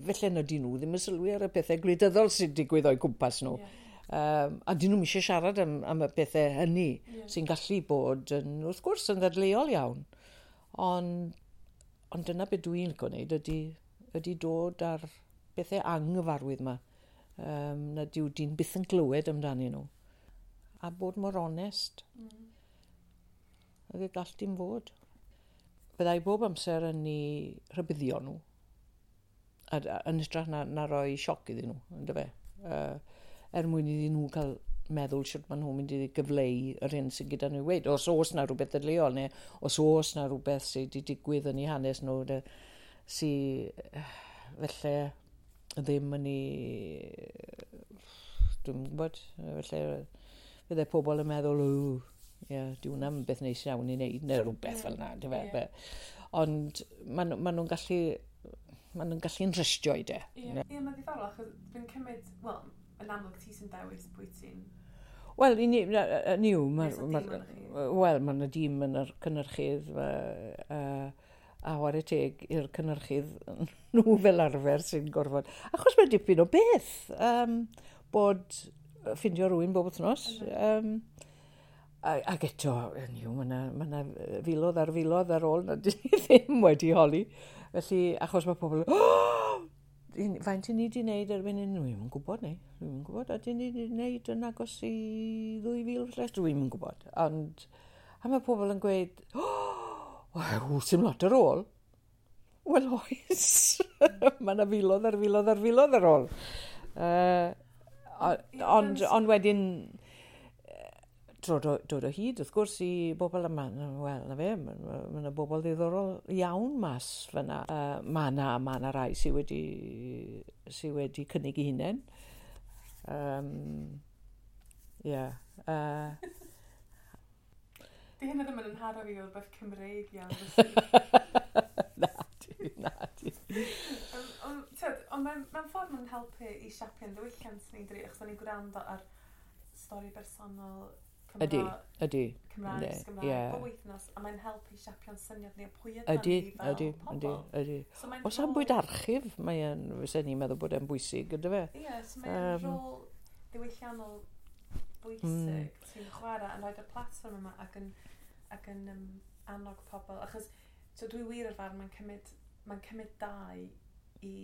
Felly na dyn nhw ddim yn sylwi ar y pethau gwleidyddol sy'n digwydd o'u cwmpas nhw. Yeah. Um, a dyn nhw'n eisiau siarad am, am y pethau hynny yeah. sy'n gallu bod yn, wrth gwrs, yn ddadleuol iawn. Ond, ond dyna beth dwi'n licio wneud ydy, ydy dod ar bethau anghyfarwydd yma. Um, na dyw dyn byth yn glywed amdanyn nhw. A bod mor onest. Mm. Ag y gall dim fod. Byddai bob amser yn ei rhybuddio nhw. A, a, yn hytrach na, na roi sioc iddyn nhw, yndyfe. Uh, er mwyn iddyn nhw cael meddwl sut maen nhw'n mynd i gyfleu yr hyn sydd gyda nhw i weud. Os oes na rhywbeth ddadleuol, neu os oes na rhywbeth sydd wedi digwydd yn eu hanes nhw, de, sydd felly ddim yn ei... Dwi'n gwybod, felly fydde pobl yn meddwl, o, ie, yeah, di hwnna'n beth neis iawn i wneud, neu rhywbeth fel yna, yndyfe. Yeah. Ond maen ma nhw'n gallu... Maen nhw'n gallu'n rhystio i de. Ie, yeah. yeah, mae'n ddiddorol, achos dwi'n cymryd, wel, yn amlwg ti sy'n dewis pwy ti'n... Wel, i ni, ni yw, ma, ma, wel, mae yna dîm yn yr cynhyrchydd, uh, a chwarae teg i'r cynhyrchydd nhw fel arfer sy'n gorfod. Achos mae dipyn o beth, um, bod ffindio rhywun bob wythnos. Um, ac eto, hynny yw, mae yna ma 'na filoedd ar filoedd ar ôl na dyn ni ddim wedi holi. Felly, achos mae pobl, oh! Faint i ni wedi wneud erbyn hyn? Dwi'm yn gwybod ni. Dwi'm yn gwybod. A dyn ni wedi wneud yn agos i ddwy fil falle? Dwi'm yn gwybod. Ond, a mae pobl yn gweud, oh, sy'n lot ar ôl. Wel, oes. Mae yna filoedd ar filoedd ar filoedd ar ôl. Uh, ond, ond wedyn, dod o, dod o hyd, wrth gwrs, i bobl yma. Wel, na fe, mae yna bobl ddiddorol iawn mas fyna. Uh, mae yna ma na rai sydd wedi, sy wedi cynnig eu hunain. Um, yeah. Uh, Di hynna ddim yn nharo fi o rhywbeth Cymreig iawn. Na di, na di. Ond mewn ffordd mae'n helpu i siapio'n ddiwylliant ni, dydi, achos o'n i'n gwrando ar stori bersonol Cymro, ydy, ydy. Cymraeg, Gymraeg, yeah. Bob wythnos, a mae'n helpu siapio'n syniad ni o pwy ydyn ni fel ydy, pobl. Ydy, ydy. So o safbwynt archif, mae'n, fysen ni'n meddwl bod e'n bwysig, ydy fe? Ie, yeah, so mae'n um, rôl ddiwylliannol bwysig mm. ti'n chwarae yn rhoi'r platfform yma ac yn, ac yn um, annog pobl. Achos so dwi wir o'r farn, mae'n cymryd, mae'n cymryd dau i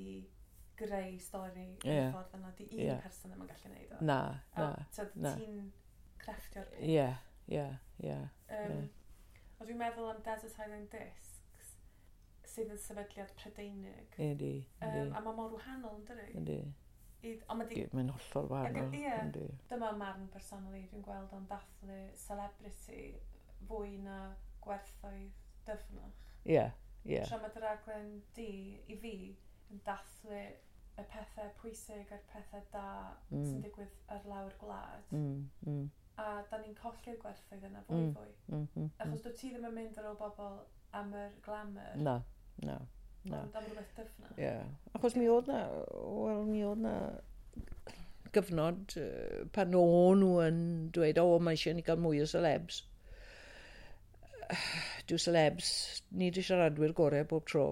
greu stori yn yeah. y ffordd yna. Di un yeah. person ddim yn gallu neud o. Na, na. So, na. Ti'n crefftio'r peth. Ie, ie, ie. Ond dwi'n meddwl am Desert Island Discs, sydd yn sefydliad Prydeinig. Ydy, ydy. Um, a mae mor wahanol, yn dydi? Ydy. Ond ma di... Mae'n hollol wahanol. Ie, dyma marn personol i, dwi'n gweld o'n dathlu celebrity fwy na gwerthoedd dyfnach. Ie, ie. Tra mae dy raglen di, i fi, yn dathlu y pethau pwysig a'r pethau da mm. sy'n digwydd ar lawr gwlad. Mm, mm. A da ni'n colli'r gwerthoedd yna fwy mm. fwy. Mm, mm, Achos dwi ti ddim yn mynd ar ôl bobl am yr glamour. Na, na, na. Ond am rhywbeth dyfnach. Ie. Yeah. Achos mi oedd na, wel, mi oedd na gyfnod pan o'n nhw yn dweud, o, mae eisiau ni gael mwy o celebs. Dyw celebs, nid y siaradwyr gorau bob tro.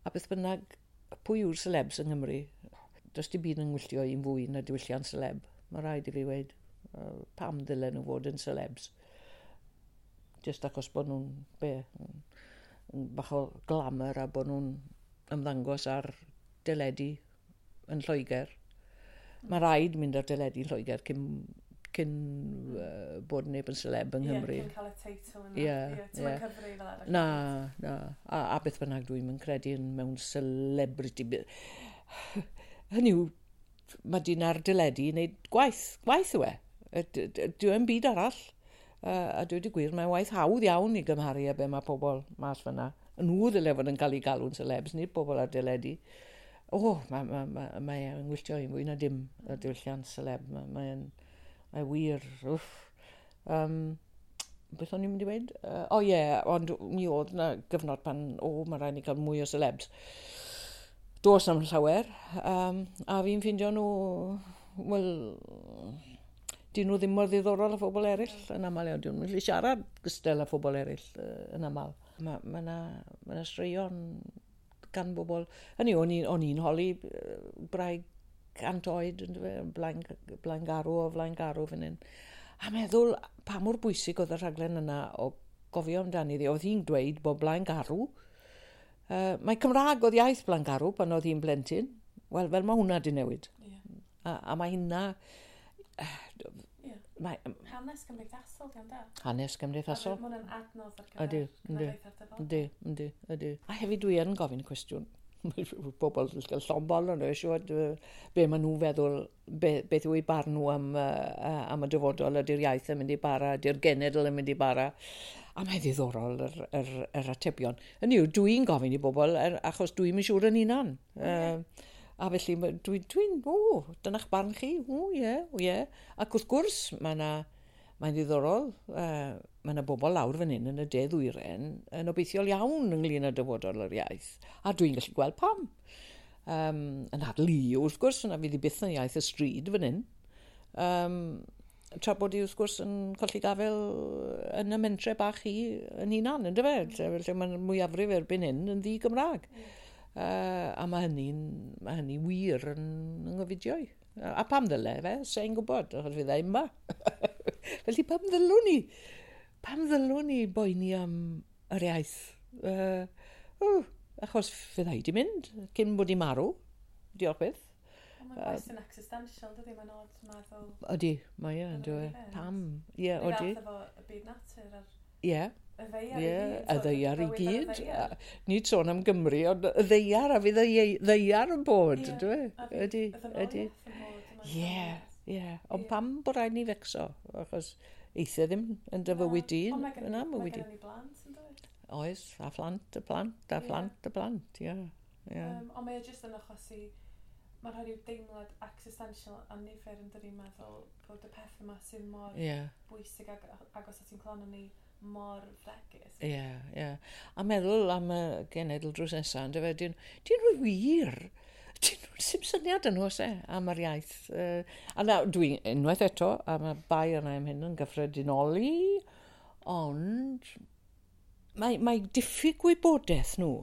A beth bynnag, pwy yw'r celebs yng Nghymru? Does dim byd yn ngwylltio i'n fwy na diwylliant celeb. Mae rhaid i fi weud, pam ddylen nhw fod yn celebs? Just achos bod nhw'n, be, yn bach o glamour a bod nhw'n ymddangos ar deledu yn Lloegr. Mae rhaid mynd ar deledu yn Lloegr cyn, cyn uh, bod neb yn celeb yng Nghymru. Ie, cyn cael y teitl yna. Ie, yeah, ie. Cyfri fel arall. Na, na. A, a beth bynnag dwi'n yn credu yn mewn celebrity. Hynny yw, mae dyn ar deledu i wneud gwaith. Gwaith yw e. Dyw e'n byd arall. Uh, a dweud y gwir, mae'n waith hawdd iawn i gymharu â be mae pobl mas fyna. Nhw ddyle fod yn cael eu galw'n celebs, nid pobl ar deledu. O, oh, mae ma, ma, mae e'n gwylltio i'n fwy na dim y diwylliant celeb. Mae'n mae mae wir, wff. Um, beth o'n i'n mynd i weud? Uh, o ie, yeah, ond mi oedd na gyfnod pan, o, mae rhaid ni cael mwy o celebs. Does na'm llawer, um, a fi'n ffindio nhw, wel, dyn nhw ddim mor ddiddorol â phobl eraill yn aml iawn. Dyn nhw'n gallu siarad gystal â phobl eraill uh, yn aml. Mae ma na, ma na straeon gan bobl. Hynny, o'n i'n o'n i'n holi brau cant oed, blaen, Blaengarw o Flaengarw fan hyn. A meddwl pa mor bwysig oedd y rhaglen yna o gofio amdani ddi. Oedd hi'n dweud bod Blaengarw. Uh, mae Cymraeg oedd iaith Blaengarw pan oedd hi'n blentyn. Wel, fel mae hwnna di newid. Yeah. A, a mae hynna... Yeah. Mae, hanes cymdeithasol, di da. Hanes cymdeithasol. Mae hwnna'n adnodd ar gyfer cenedlaethau'r dyfodol. Ydy, ydy, ydy. A hefyd dwi yn gofyn y cwestiwn. Pobl yn cael llombol yn siŵr be maen nhw'n feddwl, be, beth yw eu barn nhw am, uh, am y dyfodol, ydy'r iaith yn mynd i bara, ydy'r genedl yn mynd i bara. A mae'n ddiddorol yr, yr, yr atebion. Hynny yw, dwi'n gofyn i bobl, er, achos dwi'n mynd siŵr yn hunan. Uh, a felly, dwi'n, dwi, o, dyna'ch barn chi, o, ie, o, ie. Ac wrth gwrs, mae yna, mae'n ddiddorol, uh, mae yna bobl lawr fan hyn yn y de ddwyren yn obeithiol iawn ynglyn â dyfodol yr iaith. A dwi'n gallu gweld pam. Um, yn adl i, wrth gwrs, yna fydd i byth yn iaith y stryd fan hyn. Um, tra bod i, wrth gwrs, yn colli gafel yn y mentre bach hi yn hunan, yn dyfe? Lle, lle mae'n mwyafrif erbyn hyn yn ddi-Gymraeg. Mm. Uh, a mae hynny'n mae hynny wir yn, yn ngofidio i. A pam ddyle fe? Sa'n gwybod, achos fydda i yma. Felly pam ddylwn ni? Pam ddylwn ni boeni am yr iaith? Uh, oh, achos fydda i di mynd cyn bod i marw. Diolch byth. Mae'n gwestiwn existential, dydy? Mae'n odd meddwl. Ydy, mae e, ynddo e. Pam? Ie, ydy. Efo y byd natur a'r Ie. Y ddaear i gyd. Y ddaear i gyd. Nid sôn am Gymru, ond y ddaear a fydd y ddaear yn bod, yndyw e? Ydy, ydy. Ie, ie. Ond pam bod rhaid ni fecso? Achos eithaf ddim yn dy fywyd di. Ond mae gen ni blant, yn dweud? Oes, a phlant y plant, a phlant y plant, ie. Ond mae e jyst yn achosi, mae'n rhoi rhyw deimlad existential a nifer yn dydi meddwl bod y peth yma sy'n mor yeah. bwysig ag agos at i'n clon ni mor fregus. Ie, yeah, ie. Yeah. A meddwl am y genedl drws nesaf, yndyfe, dyn, dyn nhw wir, dyn nhw sy'n syniad yn nhw oes e, am yr iaith. Uh, a na, dwi unwaith eto, a mae bai yna am hyn yn gyffredinoli, ond mae, mae diffyg gwybodaeth nhw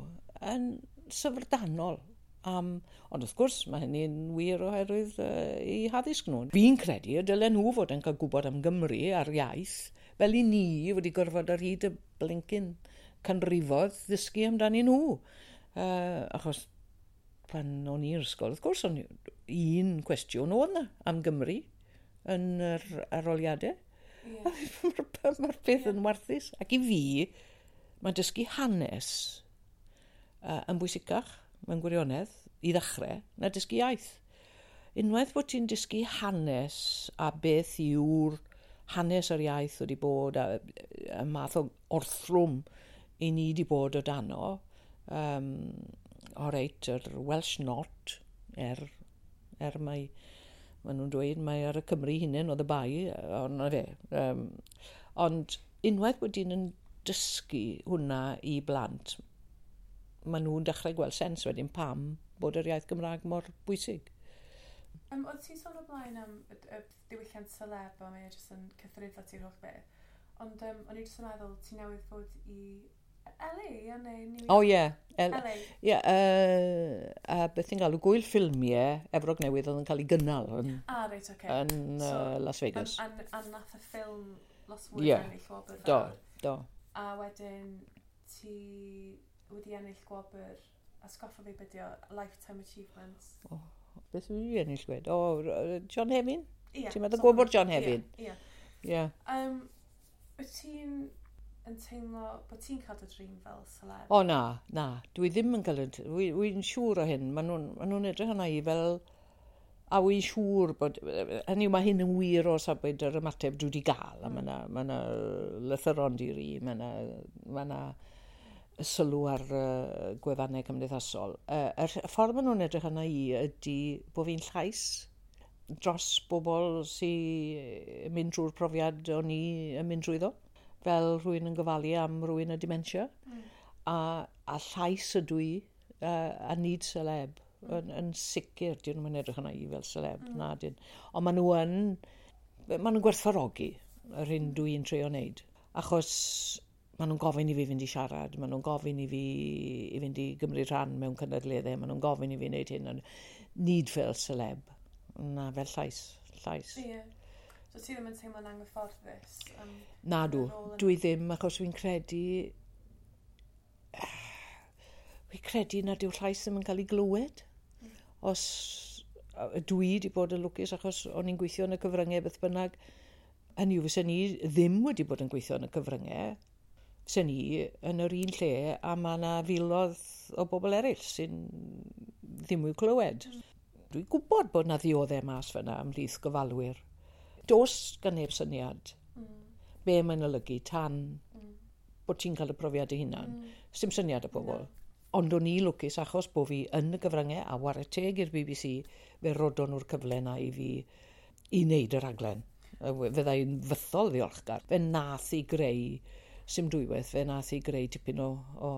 yn syfrdanol. Um, ond wrth gwrs, mae hynny'n wir oherwydd uh, eu haddysg nhw. Fi'n credu y dylen nhw fod yn cael gwybod am Gymru a'r iaith, fel i ni wedi gorfod ar hyd y blincyn canrifodd ddysgu amdani nhw. Uh, achos pan o'n i'r ysgol, wrth gwrs, o'n un cwestiwn oedd na am Gymru yn yr aroliadau. Yeah. Mae'r ma peth yeah. yn warthus. Ac i fi, mae dysgu hanes uh, yn bwysicach mewn gwirionedd, i ddechrau, na dysgu iaith. Unwaith bod ti'n dysgu hanes a beth yw'r hanes yr iaith wedi bod a, a math o orthrwm i ni wedi bod o dano, um, o reit, yr Welsh Not, er, er mae, maen nhw'n dweud mae ar y Cymru hunain oedd y bai, ond na fe. Um, ond unwaith bod ti'n yn dysgu hwnna i blant, maen nhw'n dechrau gweld sens wedyn pam bod yr iaith Gymraeg mor bwysig. Um, oedd ti'n sôn o blaen am y, y diwylliant celeb a mae e jyst yn cythruddo ti'r holl beth. Ond um, o'n i jyst yn meddwl ti newydd fod i L A, ia, neu New York? O ie. L A. Ie, uh, a beth ti'n galw, gwyl ffilmiau Efrog Newydd oedd yn cael ei gynnal yn, ah, reit, okay. yn so, uh, Las Vegas. A, a, a nath y ffilm Lost Words yeah. ennill gwobr. Do, do. A wedyn ti wedi ennill gwobr, atgoffa fi beth yw, Lifetime Achievement. Oh, beth wedi ennill gwed? O, oh, John Hefin? Ie. Ti'n meddwl gwobr John Hefin? Ie. Ie. Um, wyt ti'n yn teimlo bod ti'n cael dy drin fel celeb? O na, na. Dwi ddim yn cael y... Wy'n siŵr o hyn. Maen nhw'n ma nhw edrych arna i fel... A wy'n siŵr bod... Hynny yw, mae hyn yn wir o safbwynt yr ymateb dwi wedi gael. A mae yna ma lythyron di-ri, mae yna ma na sylw ar uh, gwefannau cymdeithasol. Uh, yr ffordd maen nhw'n edrych arna i ydy bod fi'n llais dros bobl sy'n mynd drwy'r profiad o'n i yn mynd drwyddo, fel rhywun yn gofalu am rhywun â dementia. Mm. A, a llais ydw i, uh, a nid celeb. Mm. Yn, yn sicr, dyn nhw'n edrych arna i fel celeb, mm. na dyn. Ond maen nhw yn, maen nhw'n gwerthfawrogi yr hyn dwi'n trio wneud. Achos maen nhw'n gofyn i fi fynd i siarad, maen nhw'n gofyn i fi i fynd i gymryd rhan mewn cynadleddau, maen nhw'n gofyn i fi wneud hyn, ond nid fel celeb, na fel llais, llais. Ie. Yeah. So ti ddim yn teimlo'n anghyfforddus? Um, na dw, dwi ddim, achos fi'n credu, fi'n credu nad yw'r llais ddim yn cael ei glywed. Mm. Os dwi wedi bod yn lwcus achos o'n i'n gweithio yn y cyfryngau beth bynnag, hynny yw fysen ni ddim wedi bod yn gweithio yn y cyfryngau, fysen ni yn yr un lle a mae yna filoedd o bobl eraill sy'n ddim i'w clywed. Mm. Dwi'n gwybod bod yna ddioddau mas fyna ymhlith gofalwyr. Does gan neb syniad mm. be mae'n olygu tan mm. bod ti'n cael y profiad dy hunan. Mm. Sdim syniad y pobl. No. Ond o'n i lwcus achos bod fi yn y gyfryngau a whare teg i'r B B C, fe rodon nhw'r cyfle na i fi i wneud y raglen. Fydda i'n fythol ddiolchgar. Fe nath i greu, sim dwywaith, fe nath i greu tipyn o, o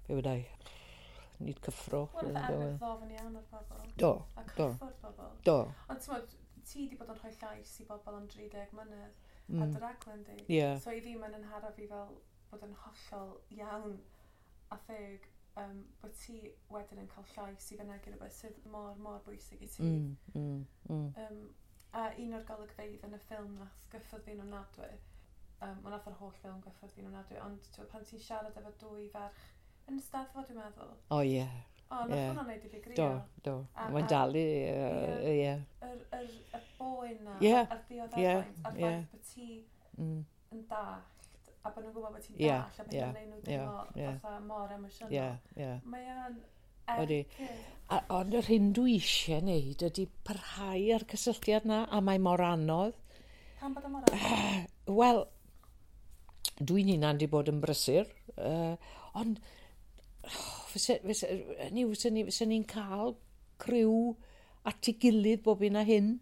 be weda i, nid cyffro. Wel, nath e ddofn iawn o'r bobl. Do, A do. cyffwrdd bobl. Do. Ond ti'n meddwl, ti wedi bod yn rhoi llais i bobl am dri deg mlynedd mm. a dy raglen di. Yeah. So i fi mae'n yn hara fi fel bod yn hollol iawn a theg um, bod ti wedyn yn cael llais i fynegi rhywbeth sydd mor, mor bwysig i ti. Mm, mm, mm. Um, a un o'r golygfeydd yn y ffilm nath gyffwrdd fi'n ofnadwy, um, wel nath yr holl ffilm gyffwrdd fi'n ofnadwy, ond t'wod, pan ti'n siarad efo dwy ferch yn y Steddfod, dwi'n meddwl. O oh, ie. Yeah. O, nath Ie. hwnna'n neud i fi grio. Do, do. A- Mae'n a- dal i, yy, ie. Yr, yr, y boen na, Ie, a'r dioddefaint, a'r ie. ffaith bod ti Mm. yn dallt, a bod nhw'n gwybod bod ti'n Ie, dallt, a bod ie, nhw'n neud nhw ie, deimlo ie. fatha mor emosiynol. Ie, ie. Mae o'n Ydi. ergyd. A, ond yr hyn dwi eisiau wneud ydy parhau ar cysylltiad na, a mae mor anodd. Pam bod o mor anodd? Wel, dwi'n hunan di bod yn brysur, uh, ond oh, fyse, fyse, ni, fyse, ni, fyse ni'n cael criw at ei gilydd bob un a hyn.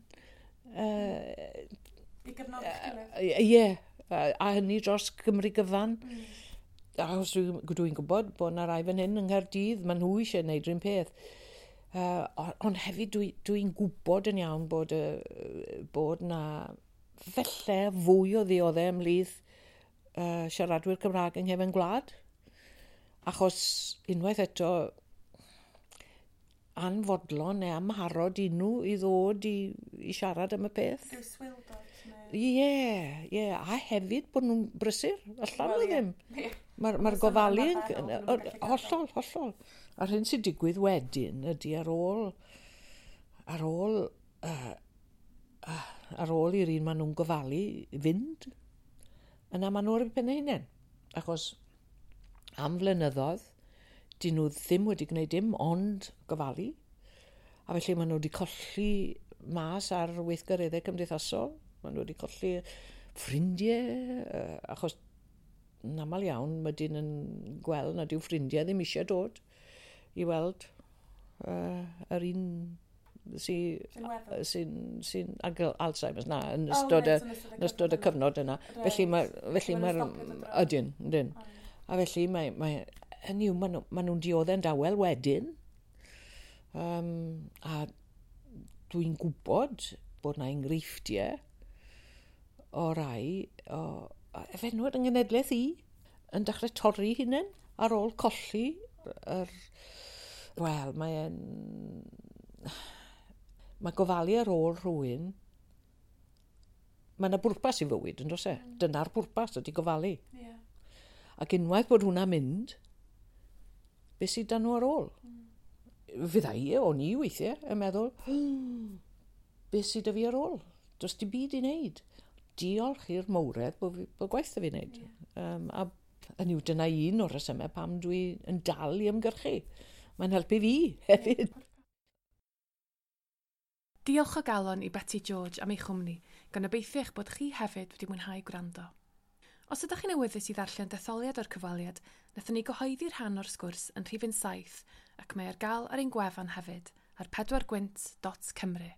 Uh, I gefnogi'ch gilydd. Ie, a, a hynny dros Gymru gyfan. Mm. Achos dwi'n dwi gwybod bod yna rai fan hyn yng Nghaerdydd, maen nhw eisiau gwneud rhywun peth. Uh, ond hefyd dwi'n dwi gwybod yn iawn bod, uh, bod na falle fwy o ddioddau ymhlith uh, siaradwyr Cymraeg yng nghefn gwlad. Achos unwaith eto anfodlon neu amharod i nhw i ddod i, i siarad am y peth. Rhyw swildod neu... Ie, ie, a hefyd bod nhw'n brysur, allan Wel, nhw ie. ddim. Ie. Mae'r ma Fysa nhw'n gofalu yn... ymarferol, bod nhw'n gallu gadael. Hollol, hollol. A'r hyn sy'n digwydd wedyn ydy ar ôl, ar ôl, uh, uh, ar ôl i'r un maen nhw'n gofalu fynd, yna maen nhw ar eu pen eu hunain. Achos am flynyddoedd, dyn nhw ddim wedi gwneud dim ond gofalu. A felly maen nhw wedi colli mas ar weithgareddau cymdeithasol. Maen nhw wedi colli ffrindiau, uh, achos yn aml iawn mae dyn yn gweld nad yw ffrindiau ddim eisiau dod i weld uh, yr un sy'n Sy'n weddw. sy'n sy ag Alzheimer's na yn O, ystod y, reit, yn ystod y yn ystod y cyfnod yna. Reit. Felly mae felly Maen mae'r nhw'n stopio dod draw. ydyn, ydyn. O, ie. A felly mae mae hynny yw maen nhw, maen nhw'n dioddau'n dawel wedyn. Um, a dwi'n gwybod bod na enghreifftiau o rai o efenwad yng nghenedlaeth i yn dechrau torri hunain ar ôl colli yr... Wel, mae'n... Mae gofalu ar ôl rhywun... Mae yna bwrpas i fywyd, yn does e? Mm. Dyna'r bwrpas ydy gofalu. Ie. Ac unwaith bod hwnna'n mynd, beth sydd dan nhw ar ôl? Mm. Fydda i, o'n i weithiau, yn meddwl, beth sydd 'da fi ar ôl? Does dim byd i wneud. Diolch i'r mawredd bod, fi, bod gwaith 'da fi wneud. Ie. Um, a hynny yw, dyna un o'r rhesymau pam dwi yn dal i ymgyrchu. Mae'n helpu fi hefyd. Diolch o galon i Beti George am ei chwmni, gan obeithio eich bod chi hefyd wedi mwynhau gwrando. Os ydych chi'n awyddus i ddarllen detholiad o'r cyfweliad, wnaethon ni gyhoeddi rhan o'r sgwrs yn rhifyn saith ac mae ar gael ar ein gwefan hefyd ar pedwar gwynt dot cymru.